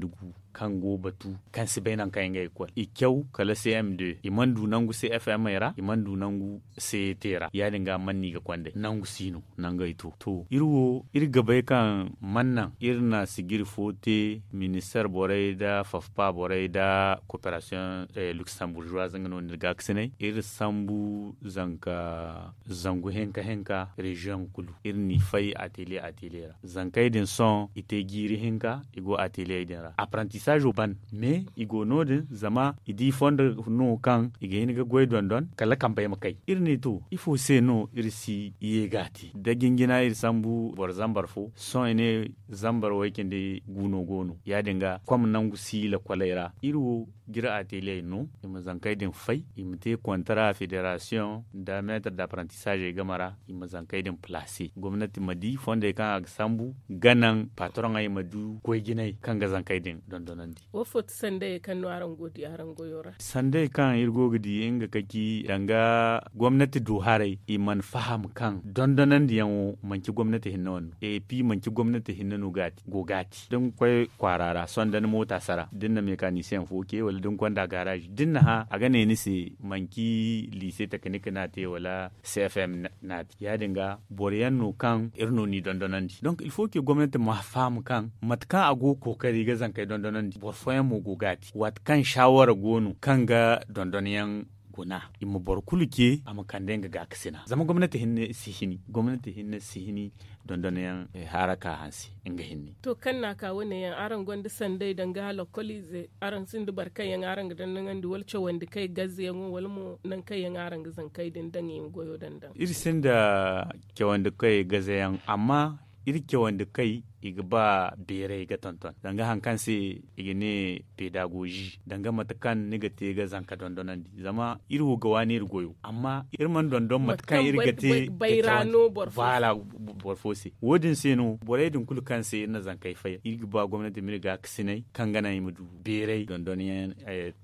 gu kaŋ go batu kaŋ si bay nangu kaŋ ngey ga koy i caw kala cm deux i mana du nangu cfm ra i mana du nangu cet ra ya- din ga mana no i ga konday nangu si no nangey to to iri wo iri ga bay kaŋ mana naŋ iri na sijiri fo te ministar borey nda fafpa borey nda cooperation luxembourgeoise nga no ni ga ga sinay iri sambu zanka zangu hinka hinka reziyoŋ kulu iri n'i fay atelier atelier ra zankey din sohõ i te jiiri hinka i go atelier din ra apprentissage ban mais i go no- din zama i di fondo no kaŋ i ga hin ga goy dondon kala kambey ma kay iri ne to ifo se no iri si ye ga a te da jinjina iri sambu boro zambar fo sohõ i ne zambar way cindi gu no go no ya- din ga kom nangu si lakoley ra iri wo jire atelier no i ma zankey din fay i ma te kontara federasiyoŋ nda metre d'apprentissage game ra i ma zankey din place gomnati ma di fondey kaŋ a ga sambu ga naŋ patroŋey ma du goy jinay kaŋ ga zankey din dondonandi. Wo fo ti sandayey kaŋ no araŋ go ga di araŋ goyo ra? Sandayey kaŋ iri go ga di nga ka ci danga gomnati du haray i mana faham kaŋ dondonandiyaŋo manci gomnati hinne wane no et puis manci gomnati hinne no go ga a te da ni koy kwaara ra sohõ da ni moota sara da ni na mekanisiyeŋ fo ce wala da ni konda garazi da ni na hã a ga ne ni se manci liise teknik no a te wala cfm no a te ya- din ga boro yaŋ no kaŋ iri no n'i dondonandi donk il faut que gomnati ma faham kaŋ mate kaŋ a go ga kookari ga zankey dondonandi boro fooyaŋ mo go ga a te waati kaŋ saawara go no kaŋ ga dondonyaŋ guna i ma boro kulu ce a ma kande nga gaakasina zama gomnati hinne si hini gomnati hinne si hini dondonyaŋ haraka hanse nga hinne. To kaŋ no a ka wane yaŋ araŋ gonda sanday danga lakkoliize araŋ sinda boro kaŋ yaŋ araŋ ga dondonandi wala cawandi kay gazeyaŋo wala mo nangu kaŋ yaŋ araŋ ga zankey din daŋ i ma goyo daŋ daŋ? Iri sinda cawandi kay gazeyaŋ amma iri cawandi kay i ga ba beeray ga tonton danga hari kaŋ se i ga ne pedagozi danga mate kaŋ ni ga te ga zanka dondonandi zama iri wo ga waani iri goyo amma iri mana dondon mate kaŋ iri ga te bayra no boro fo se. Wo- din se no borey din kulu kaŋ se iri na zankey fay iri ga ba gomnati ma iri gaakasinay kaŋ ga naŋ i ma du beeray dondonyaŋ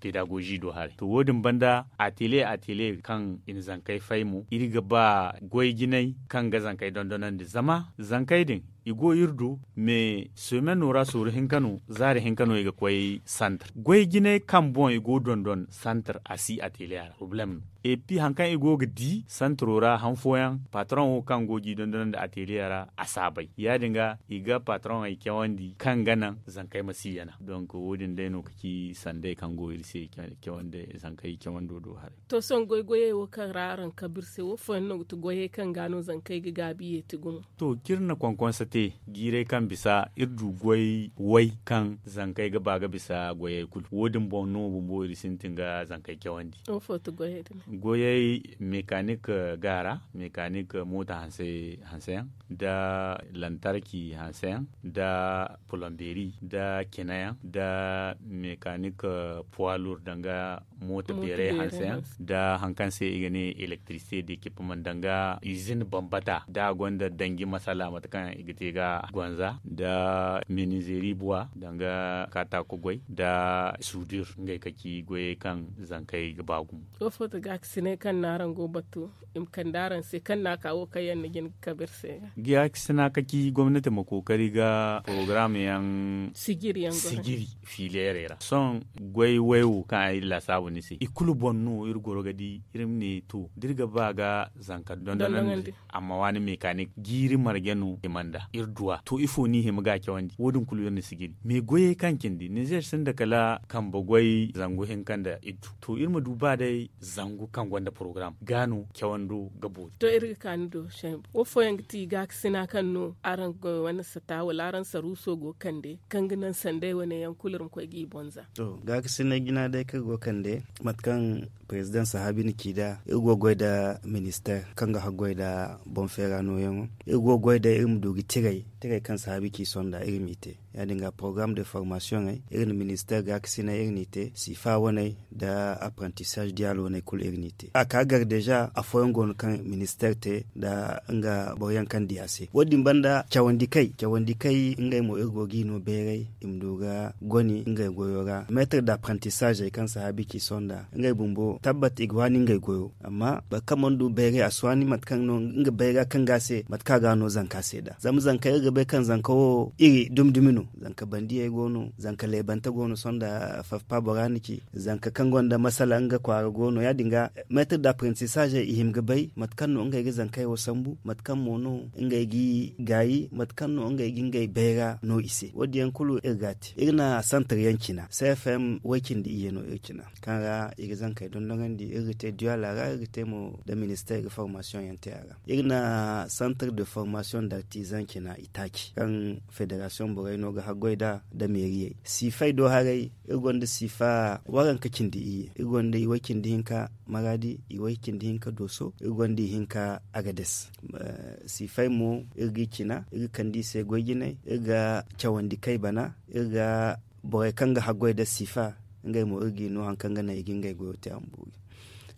pedagozi do haray to wo- din banda atelier atelier kaŋ i na zankey fay mo iri ga ba goy jinay kaŋ ga zankey dondonandi zama zankey din i go iri do mais semeno ra sooru hinka no zaari hinka no i ga koy santar goy jinay kaŋ boŋ i go dondon santar a si atelier ra problème no et puis hari kaŋ i go ga di santaro ra han fooyaŋ patron wo kaŋ go g'i dondonandi atelier ra a si a bay ya- din ga i ga patroney cawandi kaŋ ga naŋ zankey ma si yana donc wo- din day no ga ci sanday kaŋ go iri se cawandi zankey cawando do haray. To sohõ goy goyey wo kaŋ ra araŋ kabe iri se wo fooyaŋ no ga ti goyey kaŋ ga no zankey ga gaabi yeeti gumo? To ciri na konkonsa te jiirey kaŋ bisa iri du goy way kaŋ zankey ga ba ga bisa goyey kulu wo- din boŋ no bumbo iri sintin ga zankey cawandi. Goyey mekanik gaara mekanik moota hanse hanseyaŋ nda lantarki hanseyaŋ nda polomberi nda cinayaŋ nda mekanik puwalur danga moota beeray hanseyaŋ nda hari kaŋ se i ga ne elektirisite da ekipimaŋ danga izin bambata da a gonda danji masala mate kaŋ i ga te. i ga gonza nda minizeeri buwa danga kaataako goy nda suudir ngey ka ci goyey kaŋ zankey ga ba gumo. Ifo ti gaakasinay kaŋ no araŋ go batu i ma kande araŋ se kaŋ no a ka wo kaŋ yaŋ ni jin ga kabe iri se ga? Gaakasina ka ci gomnati ma kookari ga porogaram yaŋ sijiri fiileerey ra sohõ goy way wo kaŋ ay laasaabu ni se i kulu boŋ no iri goro ga di iri ma ne to da iri ga ba ga zanka dondonandi a ma waani mekanik jiiri marje no i mana da iri duw'a to ifo no i hima ga a cawandi wo- din kulu iri na si jiri me goyey kaŋ cindi ninzeer sinda kala kambe goy zangu hinka nda iddu to iri ma du ba day zangu kaŋ gonda porogaram ga no cawando ga boori. To iri ga ka ni do wo fooyaŋ ga ti gaakasina kaŋ no araŋ ga wane sata wala araŋ saruuso go ga kande kaŋ ga naŋ sanday wane yaŋ kulu iri ma koy ga i boŋ za. To gaakasinay jina day kaŋ iri go ga kande mate kaŋ perezidaŋ sahaabi na ci nd'a iri go ga goy nda ministeer kaŋ ga haggoy nda boŋ feera nooyaŋo. Iri go ga goy day iri ma du ga tiray tiray kaŋ sahaabi ci sonda iri m'i te ya- din ga porogaram de formasiyoŋey iri na ministeer gaakasinay iri n'i te siifa waney nda apprentissage diyaal waney kulu iri n'i te a ka gar deeza afooyaŋ go no kaŋ ministeer te nda nga boro yaŋ kaŋ di a se wo- din banda cawandi kay cawandi kay ngey mo iri go g'i no bayray i ma du ga goni ngey goyo ra meetar da apprentissage kaŋ sahaabi ci sonda ngey bumbo tabbat i ga waani ngey goyo amma boro kaŋ mana du bayray a si waani mate kaŋ no nga bayra kaŋ ga a se mate kaŋ a ga no zanka se nd'a zama zanka iri ga bay kaŋ zanka wo iri dumi dumi no zanka bandiyey go no zanka leebante go no sonda fafpa bora na ci zanka kaŋ gonda masala nga kwaara go no ya- din ga meetar da apprentissage i hima ga bay mate kaŋ no ngey ga zankey wo sambu mate kaŋ mo no ngey g'i gaayi mate kaŋ no ngey ga ngey bayra no i se wo- din yaŋ kulu iri ga a te iri na santar yaŋ cina cfm way cindi iyye no iri cina kaŋ ra i ga zankey dondonandi iri ga te duwala ra iri ga te mo nda ministeer ga formasiyoŋ yaŋ te a ra iri na santar de formasiyoŋ nda artizan cina itaaci kaŋ federasiyoŋ borey no ga haggoy nd'a nda meeriyey siifay do haray iri gonda siifa waranka cindi iyye iri gonda iway cindi hinka maraadi iway cindi hinka dooso iri gonda ihinka agades siifay mo iri g'i cina iri ga kande i se goy jinay iri ga cawandi kay bana iri ga borey kaŋ ga haggoy nda siifa ngey mo iri g'i no hari kaŋ ga naŋ i ga ngey goyo te a ma boori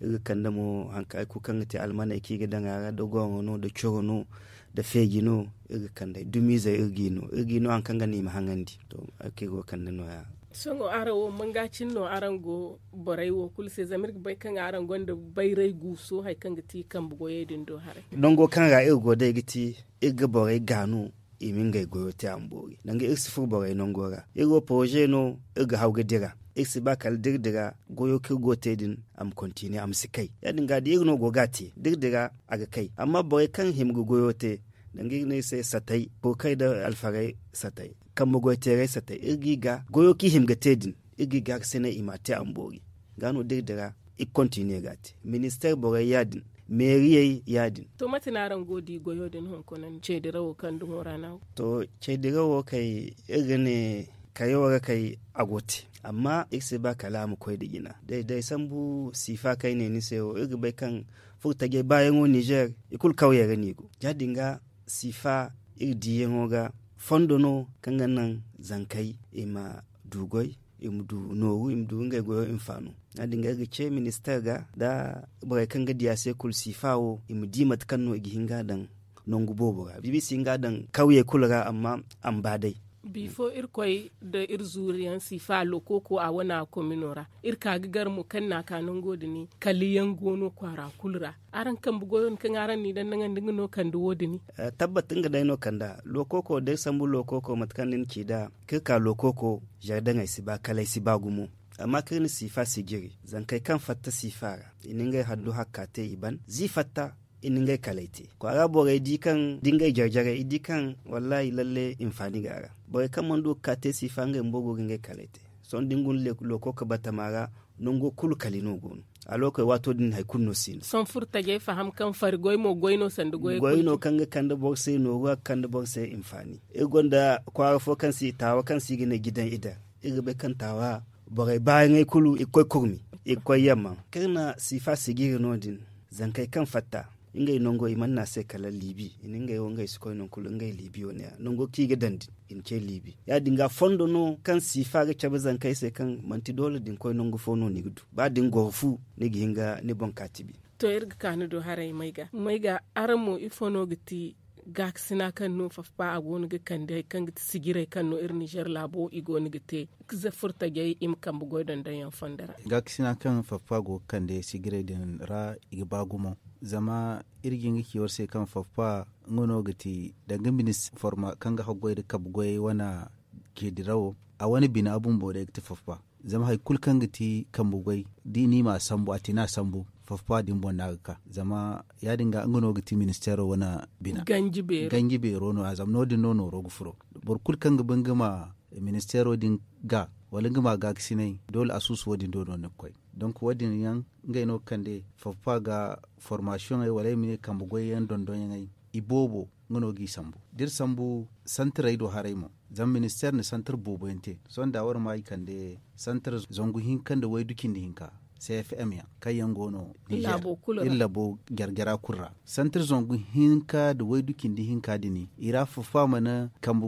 iri ga kande mo hari kulu kaŋ ga te almaney kaŋ i ga daŋ a ra da goro no da coro no da feeji no iri ga kand'ey dumiizey iri g'i no iri g'i no hari kaŋ ga naŋ i ma haŋandi to hari kaŋ iri go ga kande nooya sohõ araŋ wo manga cine no araŋ go borey wo kulu se zama iri ga bay kaŋ araŋ gonda bayray guuso hari kaŋ ga ti kambe goyey din do haray nango kaŋ ra iri go day ga ti iri ga borey gaanu i ma ngey goyo te a ma boori danga iri si furo borey nango ra iri wo poroze no iri ga haw ga dira iri si ba kala da iri dira goyo kaŋ iri go ga te din a ma kontine a ma si kay ya- din ga da iri no go ga a te da iri dira a ga kay amma borey kaŋ hima ga goyo te danga iri ne iri se satay kurkay nda alfarey satay kambe goy teeray satay iri g'i ga goyo kaŋ i hima ga te din iri g'i ga ga se ne i m'a te a ma boori ga no da iri dira iri ga kontine ga a te ministeer borey ya- din meeriyey ya- din to mate no araŋ go ga di goyo din hunkuna ceedirawo kaŋ dumo ra no a go to ceedirawo kay iri ga ne kayo ra kay a go ga te amma iri si ba kala a ma koy nda jina day day sambu siifa kaŋ ay ne ni se wo iri ga bay kaŋ furtajey baayaŋo ninzeer i kulu kawyey ra no i go ya- din ga siifa iri diiyaŋo ga fondo no kaŋ ga naŋ zankey i ma du goy i ma du nooru i ma du ngey goyo hinfaano ya- din ga iri ga ce ministeer ga nda borey kaŋ ga di a se kulu siifa wo i ma di mate kaŋ no i ga hin ga a daŋ nangu boobo ra biibi si hin ga a daŋ kawyey kulu ra amma a ma ba day bifo irkoy nda iri zuuriyaŋ siifa lokooko a wane a komino ra iri ka ga gar mo kaŋ no a ka nango din kala yaŋ go no kwaara kulu ra araŋ kambe goyo din kaŋ araŋ n'i daŋ naŋandi nga no kande wo- din tabbat nga day no kande a lokooko da iri sambu lokooko mate kaŋ ni na ci nd'a kaŋ iri ka lokooko zardaŋey si ba kala ay si ba gumo amma kaŋ iri na siifa sijiri zankey kaŋ fatta siifa ra i na ngey handu hakka te i ban z'i fatta i na ngey kalay te kwaara borey di kaŋ da ngey jare-jarey i di kaŋ wallaahi lalle hinfaani go a ra borey kaŋ mana du ga ka te siifa ngey bumbo go ga ngey kalay te sohõ da ni guna lokooko batama ra nango kulu kali no go no a lokey waato din hari kulu no si no sohõ furtajey faham kaŋ fari goy mo goy no sanda goy goy no kaŋ ga kande boro se nooru a ga kande boro se hinfaani iri gonda kwaara fo kaŋ se taawa kaŋ se i ga ne jidaŋ i daŋ iri ga bay kaŋ taawa borey baayaŋey kulu i ga koy kurmi i ga koy yamma kaŋ iri na siifa sijiri no- din zankey kaŋ fatta ngey nango i mana ne a se kala liibi i na ngey wo ngey si koy nangu kulu ngey liibi wo ne- ya nango kaŋ i ga daŋ din i na ce liibi ya- din ga fondo no kaŋ siifa ga cabe zankey se kaŋ manti doole da ni koy nangu fo no ni ga du ba da ni goro fu ni ga hin ga ni boŋ ka tibi to iri ga ka ni do haray mayga mayga araŋ mo ifo no ga ti Gaakasina kaŋ no faffa a go no ga kande kaŋ ga ti sijirey kaŋ no iri nizer laabo i go no ga te, furtajey i ma kambe goy dondonyaŋ fondo ra. Gaakasina kaŋ faffa go ga kande sijirey din ra, i ga ba gumo. Zama iri ga hin ga ci war se kaŋ faffa nga no ga ti danga ministir forma kaŋ ga haggoy nda kambe goyey wane, ceedirawo, a wane bina bumbo day ga ti faffa. Zama hari kulu kaŋ ga ti kambe goy, da i ne i ma a sambu a ti no a sambu. Faffa din boŋ no a ga ka zama ya- din ga nga no ga ti ministeero wane bina. Ganji beero no- ya zama no- din no nooro ga furo. Boro kulu kaŋ ga ba nga ma ministeero din ga wala nga ma gaakasinay, doole a suusu wo- din do no ni ga koy. Donk wo- din yaŋ, ngey no ga kande faffa ga, formasiyoŋey wala ay ma ne kambe goyyaŋ dondonyaŋey, i boobo nga no g'i sambu. Da iri sambu santarey do haray mo, zama ministeer na santar boobo yaŋ te. Sohõ da war ma i kande santar zangu hinka nda waydu cindi hinka, c f m yaŋ kaŋ yaŋ go no iri labo jare-jara kulu ra. Santar zangu hinka nda waydu cindi hinka din, i ra faffa mana kambe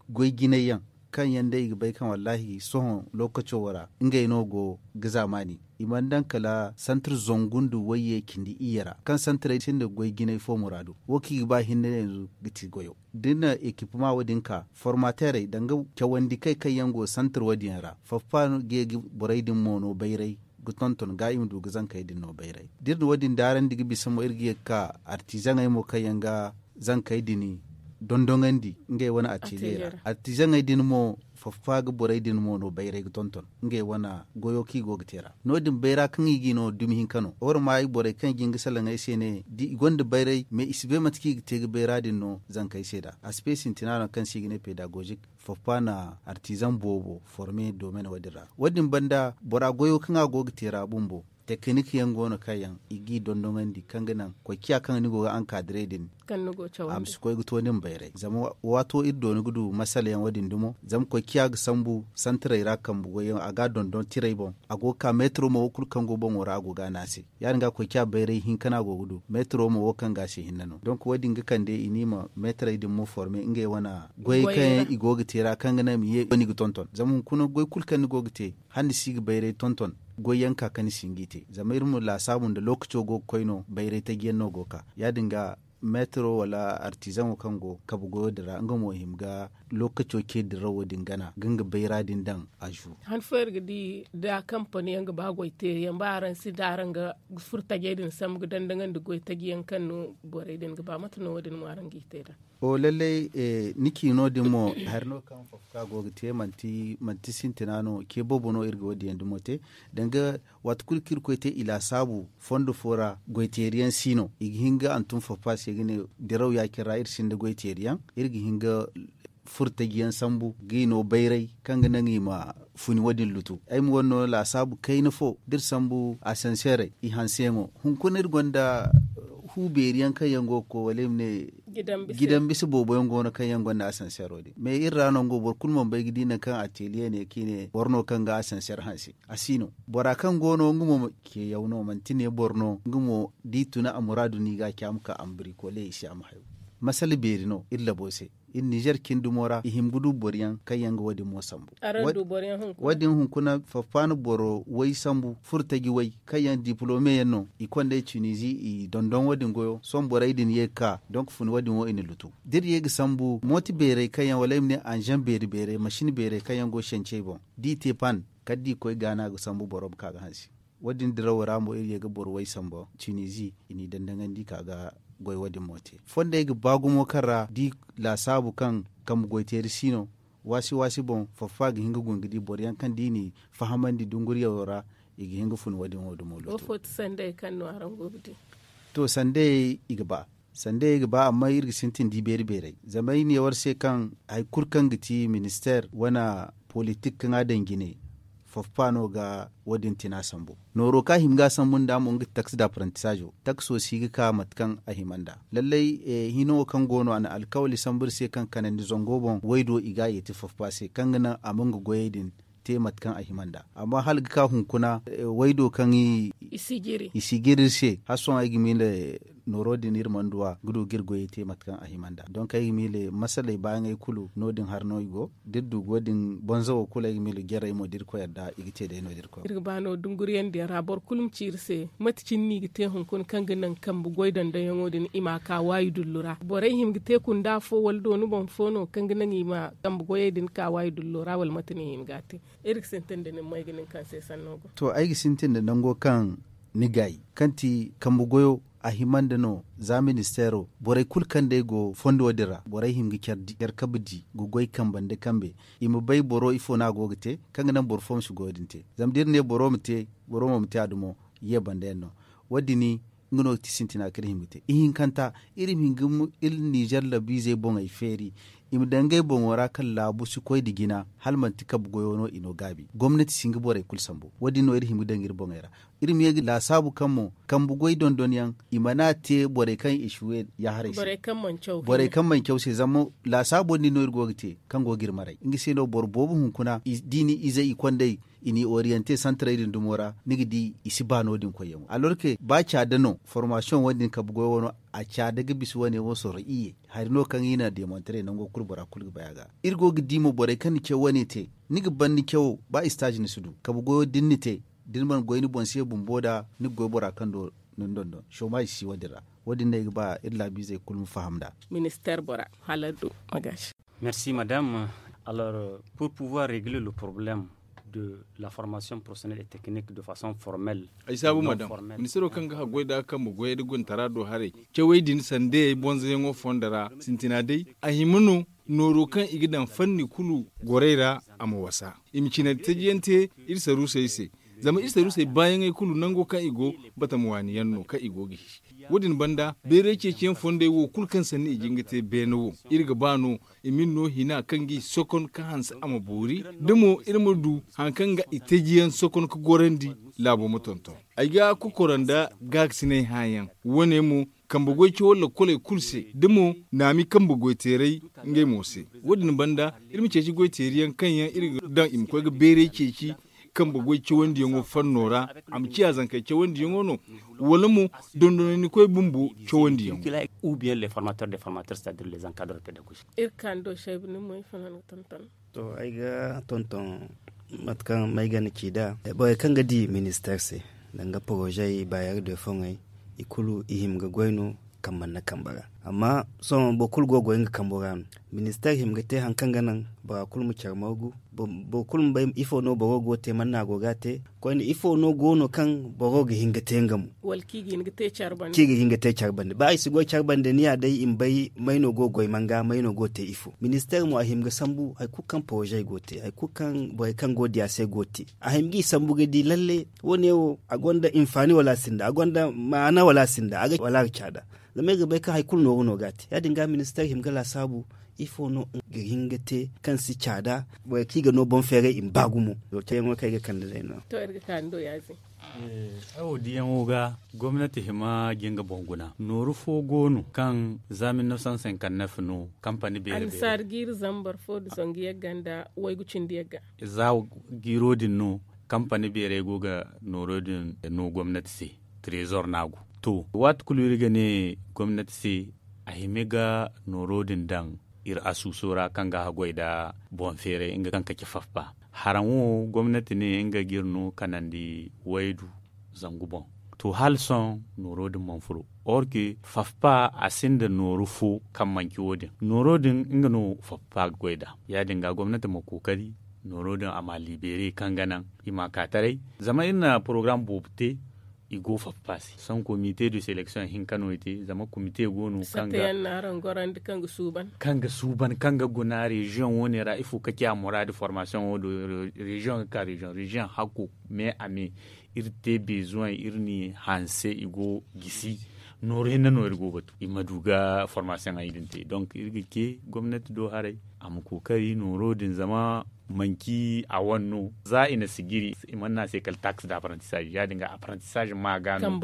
goy jinay yaŋ, kaŋ yaŋ day i ga bay kaŋ wallaahi sohõ lookaco wo ra ngey no go ga zaamaani. I mana daŋ kala santar zangu nda wayye cindi iyye ra kaŋ santarey sinda goy jinay fo muraadu. Wo kaŋ i ga ba hinne yanzu ga ti goyo. Da ni na ekipema wo- din ka formateerey danga cawandi kay kaŋ yaŋ go santar wo- din yaŋ ra, faffa ga ye ga borey din mo no bayray ga tonton ga i ma du ga zankey din no bayray. Da iri na wo- din daarandi ga bisa mo iri ga ye ga ka artizaŋey mo kaŋ yaŋ ga zankey din dondoŋandi ngey wane atelier ra. Artizaŋey din mo faffa ga borey din mo no bayray ga tonton ngey wane goyo kaŋ i go ga te ra. No- din bayra kaŋ i g'i no dumi hinka no war ma i borey kaŋ i ga hin ga salaŋ ay se ne da i gonda bayray mais i si bay mate kaŋ i ga te ga bayra din no zankey se nd'a. A si pe sintina no kaŋ se i ga ne pedagozik. Faffa na artizaŋ boobo forme domen wo- din ra. Wo- din banda bora goyo kaŋ a go ga te ra bumbo tekinik yaŋ go no kaŋ yaŋ i g'i dondoŋandi kaŋ ga naŋ koy ciya kaŋ ni go ga ankadire din. A ma si koy ga to nin bayray zama waato iri dooni ga du masala yaŋ wo- din dumo zama koy ciya ga sambu santarey ra kambe goyyaŋ a ga a dondon tirey boŋ. A go ga ka metro mo wo kulu kaŋ go boŋo ra a go ga a naŋ a se. Ya- din ga koy ciya bayray hinka no a go ga du metro mo wo kaŋ ga a se hinne no donk wo- din ga kande i ne i ma metrey din mo forme ngey wane goyey kaŋ yaŋ i go ga te ra kaŋ ga naŋ i ma ye wo- ni ga tonton zama hunkuna goy kulu kaŋ ni go ga te hala ni si ga bayray tonton. Goyyaŋ ka kaŋ ni si hin g'i te zama iri ma laasaabu nda lookaco go ga koy no bayray taji yaŋ no go ga ka. Ya- din ga metro wala artizaŋo kaŋ go kabe goyo din ra nga mo hima ga lookaco ce dirawo din gana ga nga bayra din daŋ. A zu. Han fo iri ga di da kampani yaŋ ga ba goy teeri yaŋ ba araŋ si da araŋ ga furo tajey din sambu ga dandaŋandi goy taji yaŋ kaŋ no borey din ga ba mate no wo- din mo araŋ g'i te nd'a? O lallay. Ni ci no- din mo hari no kaŋ fafka go ga te manti sintina no ce boobo no iri ga wo- din yaŋ dumo te. Danga waati kulu kaŋ iri koy te i laasaabu fondo fo ra goy teeri yaŋ si no i ga hin ga hantum fafka se ga ne diraw ya-cine ra iri sinda goy teeri yaŋ. Iri ga hin ga furo taji yaŋ sambu g'i no bayray kaŋ ga naŋ i ma funi wo- din lutu. Ay ma wane no laasaabu kayna fo da iri sambu asanseerey i hanseyaŋo hunkuna iri gonda hu beeri yaŋ kaŋ yaŋ go ga koy wala i ma ne gidan bisa boobo yaŋ go no kaŋ yaŋ gonda asanseero din mais iri ra no nga wo boro kulu mana bay ga di nangu kaŋ ateliye ne kaŋ i ne boro no kaŋ ga asanseer hanse. A si no bora kaŋ go no nga mo ce yaw no manti ne boro no nga mo da i tuna a muraadu no i ga a ce a ma ka a ma birikole i se a ma hayo. Masala beeri no iri labo se iri nizer cine dumo ra i hima ga du boro yaŋ kaŋ yaŋ ga wo- din mo sambu. Wo- din hunkuna faffaana boro way sambu furo taji way kaŋ yaŋ dipolome yaŋ no i konda i tunizi i dondon wo- din goyo sohõ borey din ye ga ka donk funi wo- din wo i na lutu da iri ye ga sambu mooti beerey kaŋ yaŋ wala ay ma ne anzan beeri beerey masin beerey kaŋ yaŋ go sancey boŋ da i te pan kala da i koy gaana ga sambu boro ma ka ga hanse. Wo- din dirawo ra mo iri ye ga boro way sambu tunizi i n'i dandaŋandi ka ga goy wo- din mo te fondey ga ba gumo kaŋ ra da i laasaabu kaŋ kambe goy teeri si no waasi waasi boŋ faffa ga hin ga guna ga di boro yaŋ kaŋ da i n'i fahamandi dunguriyaŋo ra i ga hin ga fun wo- din wo- dumo lutu. To sandey i ga ba sandey i ga ba amma iri ga sintin da i beeri beerey zama ay ne war se kaŋ hari kulu kaŋ ga ti ministeer wane politik kaŋ a daŋ jine faffa no ga wo- din tina sambu. Nooro kaŋ a hima ga a sambu nd'a mo nga ti taksi da aprantisaazo takso si ga ka mate kaŋ a hima nd'a lallay. Hino wo kaŋ go no a na alkawali sambu iri se kaŋ kanandi zango boŋ waydo i ga a yeeti faffa se kaŋ ga naŋ a ma nga goyey din te mate kaŋ a hima nd'a amma hala ga ka hunkuna waydo kaŋ i si jiri iri se hala sohõ ay ga miila nooro din iri mana du a ga du ga iri goyey te mate kaŋ a hima nd'a. Donk ay ga miila masaley baayaŋey kulu no- din hari no i go da iri du go- din bonzo wo kulu ay ga miila jarey mo da irkoy yadda i ga te day no- din irkoy. Iri ga ba no dunguriyandiyaŋ ra boro kulu ma ci iri se mate cine no i ga te hunkuna kaŋ ga naŋ kambe goy dandayaŋo din i m'a ka waayi dullu ra borey hima ga te kunda fo wala dooni boŋ fo no kaŋ ga naŋ i ma kambe goyey din ka waayi dullo ra wala mate no i hima ga a te? Iri ga sintin da nin mo ay ga nin kaŋ se sanno go. To ay ga sintin da nango kaŋ ni gaayi kaŋ ti kambe goyo a hima nda no za ministeero borey kulu kaŋ day go fondo din ra borey hima ga care kabe di ga goy kambe nda kambe i ma bay boro ifo no a go ga te kaŋ ga naŋ boro fo ma si goyo din te. Zama da iri ne boro ma te boro mo ma te a dumo ye banda yaŋ no. Wo- din nga no ga ti sintina kaŋ iri hima ga te ihinkanta iri ma hin ga iri nizer labiizey boŋey feeri i ma daŋ ngey boŋo ra kaŋ laabu si koy nda jina hala manti kambe goyo no i no gaabi gomnati si hin ga borey kulu sambu. Wo- din no iri hima ga daŋ iri boŋey ra iri ma ye ga laasaabu kaŋ mo kambe goy dondonyaŋ i mana te borey kaŋ i si we yaaharay se borey kaŋ mana caw se zama laasaabo din no iri go ga te kaŋ go ga iri maray nga se no boro boobo hunkuna da i na izey i kondey i n'i oriyante santarey din dumo ra ni ga di i si ba no- din koyyaŋo alorke ba caada no formasiyoŋ wo- din kambe goyo wo no a caada ga bisa wane wo soro iyye hari no kaŋ i na deemontare nango kulu bora kulu ga bay a ga. Iri go ga di mo borey kaŋ na caw wane te ni ga ban ni cawo ba istaazi ni si du kambe goyo da ni na te da ni mana goy ni boŋ se bumbo nd'a ni ga goy bora kaŋ do ni na dondon soomaazi si wo- din ra. Wo- din no ay ga ba iri laabiizey kulu ma faham nd'a. Ministeer bora hala du. Merci madame. Alors, pour pouvoir régler le problème de la formation professionnelle et technique de façon formelle ay saabu madame, ministeero kaŋ ga haggoy nd'a kambe goyey nda gontara do haray cawey din sandeyey bonzoyaŋo fondo ra sintina day a hima no nooro kaŋ i ga daŋ fanni kulu gorey ra a ma wasa i ma cine tajiyaŋ te iri saruusey se. Zama iri saruusey baayaŋey kulu nango kaŋ i go batama waani yaŋ no kaŋ i go ga hisi. Wo- din banda bayray ceeciyaŋ fondey wo kulu kaŋ sanni i ga hin ga te beene wo iri ga ba no i ma iri no hina kaŋ ga i sokon ka hanse a ma boori da mo iri ma du hari kaŋ ga i tajiyaŋ sokon ka gorandi laabo ma tonton. Ay ga kokora nda gaakasinay hããyaŋ wo- ne mo kambe goy cawo lakoley kulu se da mo naami kambe goy teeray ngey mo se. Wo- din banda iri ma ceeci goy teeriyaŋ kaŋ yaŋ iri ga daŋ i ma koy ga bayray ceeci kambe goy cawandiyaŋo fanno ra a ma ciya zankey cawandiyaŋo no wala mo dondonay ni koy bumbo cawandiyaŋo. Ou bien les formateurs des formateurs c'est à dire les encadres pédagogiques. Iri kaŋ do shaybu ni mo ifo no ni ga tonton? To ay ga tonton mate kaŋ may ga ni ci nd'a borey kaŋ ga di ministeer se danga porozey baayar de foŋey i kulu i hima ga goy no kambe nda kambe ra. Amma sohõ boro kulu go ga goy nga kambo ra no. Ministeer hima ga te hari kaŋ ga naŋ bora kulu ma care margu boro kulu ma bay ifo no boro go ga te man no a go ga a te koyne ifo no go no kaŋ boro ga hin ga te nga mo? Kaŋ i ga hin ga te care bande ba i si goy care bande ni ya day i ma bay may no go ga goy manga may no go ga te ifo. Ministeer mo a hima ga sambu hari kulu kaŋ porozey go ga te hari kulu kaŋ borey kaŋ go ga di a se go ga te a hima ga i sambu ga di lalle wo- ne wo a gonda hinfaani wala a sinda a gonda maana wala a sinda a ga caada. Zama iri ga bay kaŋ hari kulu nooru no ga a te ya- din ga ministeer hima ga laasaabu ifo no ga hin ga te kaŋ si caada borey kaŋ i ga no boŋ feeray i ma ba gumo. Cayaŋo kaŋ ay ga kande day no. To iri ga kaani do ya- din. Ay wo diyaŋo ga gomnati hima ga nga boŋ guna nooru fo go no kaŋ za mil neef san senkanneef no kampani beeri beeri annasaari jiiri zambar fo nda zangu yagga nda waygu cindi yagga. Za jiiro din no kampani beerey go ga nooro din no gomnati se. Trezor no a go to waati kulu iri ga ne gomnati se a hima ga nooro din daŋ iri asuuso ra kaŋ ga haggoy nda boŋ feeray nga kaŋ ga ci fafpa. Haraŋo gomnati ne nga ga iri no kanandi waydu zangu boŋ. To hala sohõ nooro din mana furo or que fafpa a sinda nooru fo kaŋ manci wo- din nooro din nga no fafpa ga goy nd'a. Ya- din ga gomnati ma kookari nooro din a ma a libere kaŋ ga naŋ i ma a ka taray. Zama iri na porogaram boobo te i go fafpa se sans komite de selection hinka no i te zama komite go no kaŋ ga suuban kaŋ ga guna reziyoŋ wo- ne ra ifo ka ci a muraadu formasiyoŋo do reziyoŋ ga ka reziyoŋ reziyoŋ hakko me a me iri te bezuwey iri n'i hanse i go gisi nooru hinne no iri go batu i ma du ga formasiyoŋey din te donk iri ga ce gomnati do haray a ma kookari nooro din zama manci a wane no za i na sijiri i mana ne a se kala taksi da apprentissage ya- din ga apprentissage ma ga no.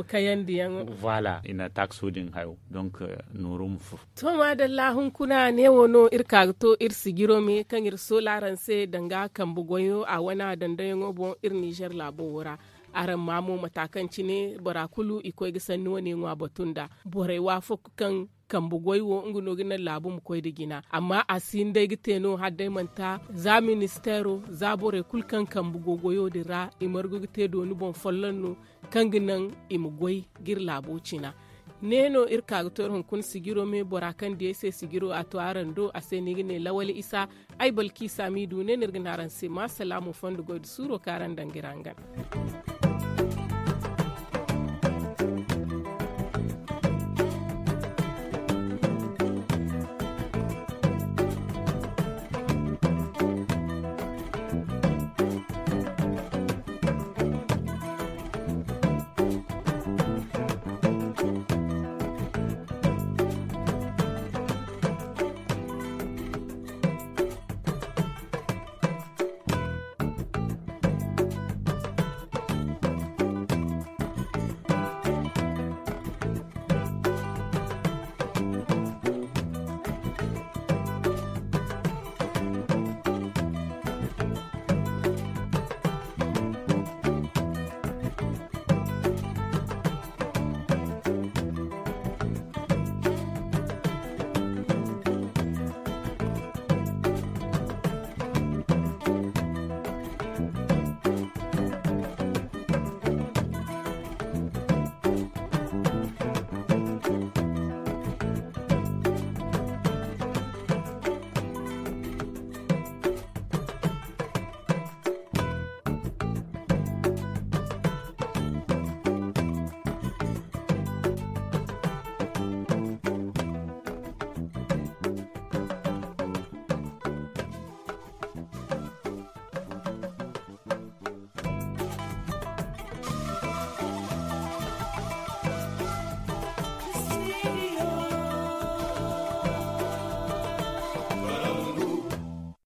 Voilà i na takso din hayo donk nooro ma furo. To maadalla hunkuna ne wo no iri ka ga to iri sijiro me kaŋ iri soola araŋ se danga kambe goyo a wane a dandayaŋo boŋ iri nizer laabo wo ra. Araŋ ma mo mata kaŋ cine bora kulu i koy ga sanni wane ŋwa batu nda borey waafakku kaŋ kambe goy wo nga no ga naŋ laabu ma koy nda jina. Amma a si hin day ga te no hala day manti za ministeero za borey kulu kaŋ kambe go goyo din ra i margu ga te dooni boŋ folloŋ no kaŋ ga naŋ i ma goy ga iri laabo cina. Ne no iri ka ga to iri hunkuna sijiro me bora kaŋ di ay se sijiro a to araŋ do a se no i ga ne lawali isa. Ay balki saamiidu ne no iri ga ne araŋ se ma salaamu fondo goy nda suuro kaŋ araŋ daŋ ga iri hangan.